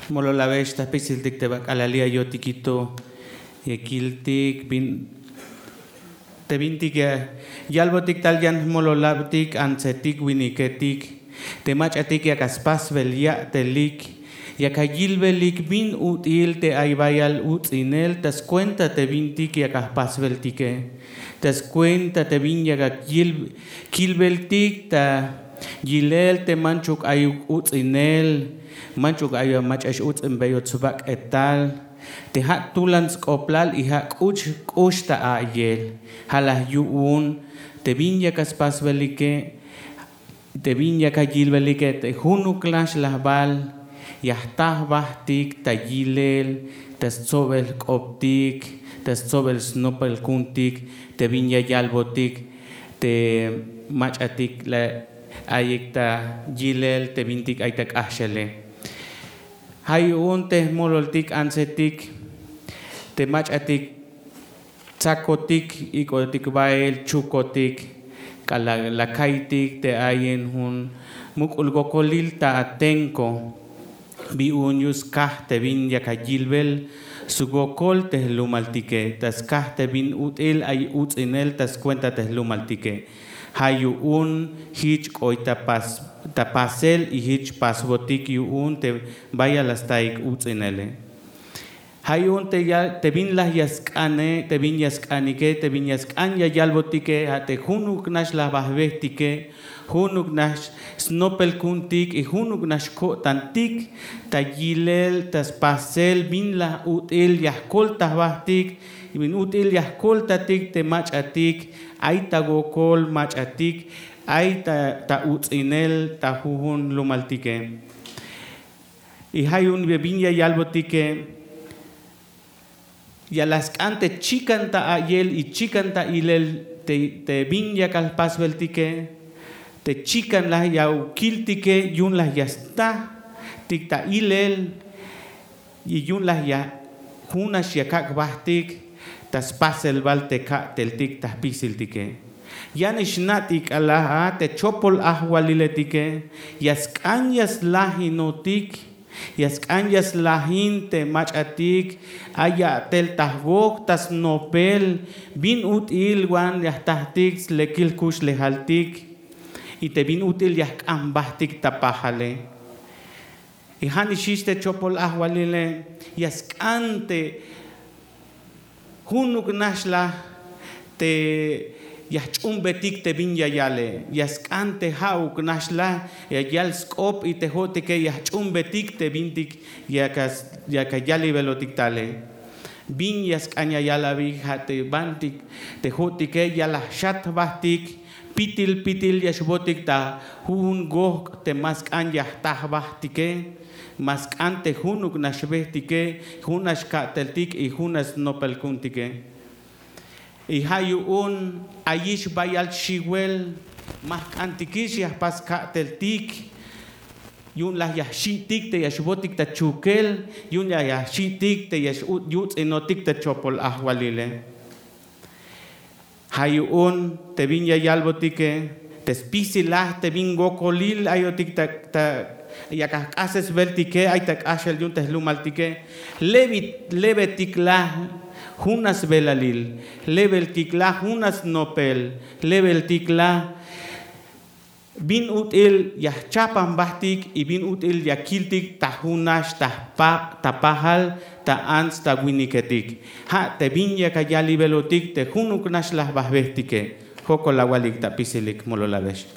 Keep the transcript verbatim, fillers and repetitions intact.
Mololabex ta jpisiltik te ba k'alal ya yo'tikito, ya kiltik bin te bintik ya yalbotik tal yan jmololabtik, antsetik, winiketik, te mach'atik yak a spasbel ya'telik, yak a yilbelik bin ut'il te ay bayal uts'inel ta skuenta te bintik yak a jpasbeltike, ta skuenta te bin yak a yil- kilbeltik ta yilel te manchuk ayuk uts'inel, manchuk ayuk mach'a x-uts'inbeyot sbak'etal. Te ja' tulan sk'oblal y ja' k'ux k'ux ta a'yel. Ja' la yu'un te bin yak a spasbelike, te bin yak a yilbelike, te junuk nax laj bal ya jta jbajtik ta yilel, ta stsobel jk'optik, ta stsobel snopel ku'untik, te bin ya yalbotik te mach'atik la ayik ta yilel te bintik ay ta k'axele. Ja' yu'un te jmololtik antsetik, te mach'atik tsakotik, ik'otik bael, chukotik, k'alal la ka'iytik te ayin jun muk'ul wokolil ta atenko, bi yu'un yu'un skaj te bin yak a yilbel swokol te jlumaltike, ta skaj te bin ut'il ay uts'inel ta skuenta te jlumaltike. Ja' yu'un jich k'oy ta pas- ta pasel y jich pasbotik yu'un te bayal la staik uts'inele. Ja' yu'un te ya- te bin laj ya sk'ane, te bin ya sk'anike, te bin ya sk'an ya yalbotike, ja' te junuk nax laj ba jbehtike, junuk nax snopel ku'untik y junuk nax ko'tantik ta yilel, ta spasel bin laj ut'il ya jkol ta jbajtik, bin ut'il ya jkoltatik te mach'atik ay ta wokol mach'atik, ay ta, ta uts'inel ta jujun jlumaltike. Y ja' yu'un bin ya yalbotike, ya la sk'an te chikan ta a'yel y chikan ta ilel te, te bin yakal jpasbeltike, te chikan laj ya kiltike, yu'un laj ya sta tik ta ilel, y yu'un laj ya jun nax ya kak' jbajtik ta spasel bal te ka'teltik ta jpisiltike. Ya nix na' tik k'alal a te chopol ajwaliletike ya sk'an ya slajinotik, ya sk'an ya slajin te mach'atik ay ya'tel ta jwok ta snopel, bin ut'il wan ya jtajtik slekil jkuxlejaltik, y te bin ut'il ya jk'an jbajtik ta pajale. Y ja' nix ix te chopol ajwalile ya sk'an te junuk nax laj te ya jch'uunbetik te bin ya yale, ya sk'an te ja'uk nax laj ya yal sk'op y te jo'tike ya jch'uunbetik te bintik ya ka- ya ka yalibelotik tale. Bin ya sk'an ya yal abi, ja' te bantik te jo'tike ya laj xat jbajtik, pitil pitil ya xbotik ta jujun gojk' te ma sk'an ya jta jbajtike, ma sk'an te junuk nax jbehtike, jun nax ka'teltik y jun nax snopel ku'untike. Y ja' yu'un ayix bayal xiwel, ma jk'antikix ya jpas ka'teltik, yu'un laj ya jxi'tik te ya xbotik ta chukel, yu'un laj ya jxi'tik te ya xyuts'inotik ta chopol ajwalile. Ja' yu'un te bin ya yalbotike, te spisil laj te bin wokolil ayotik ta, ta yak ajk'asesbeltike ay ta k'axel yu'un te jlumaltike, lebi- lebetik laj jun asbelalil, lebeltik laj jun asnopel, lebeltik laj bin ut'il ya jchapan jbajtik y bin ut'il ya kiltik ta jun nax ta jpa- ta pajal, ta ants ta winiketik. Ja' te bin yak ayalibelotik te junuk nax laj ba jbehtike. Jokol awalik ta jpisilik, mololabex.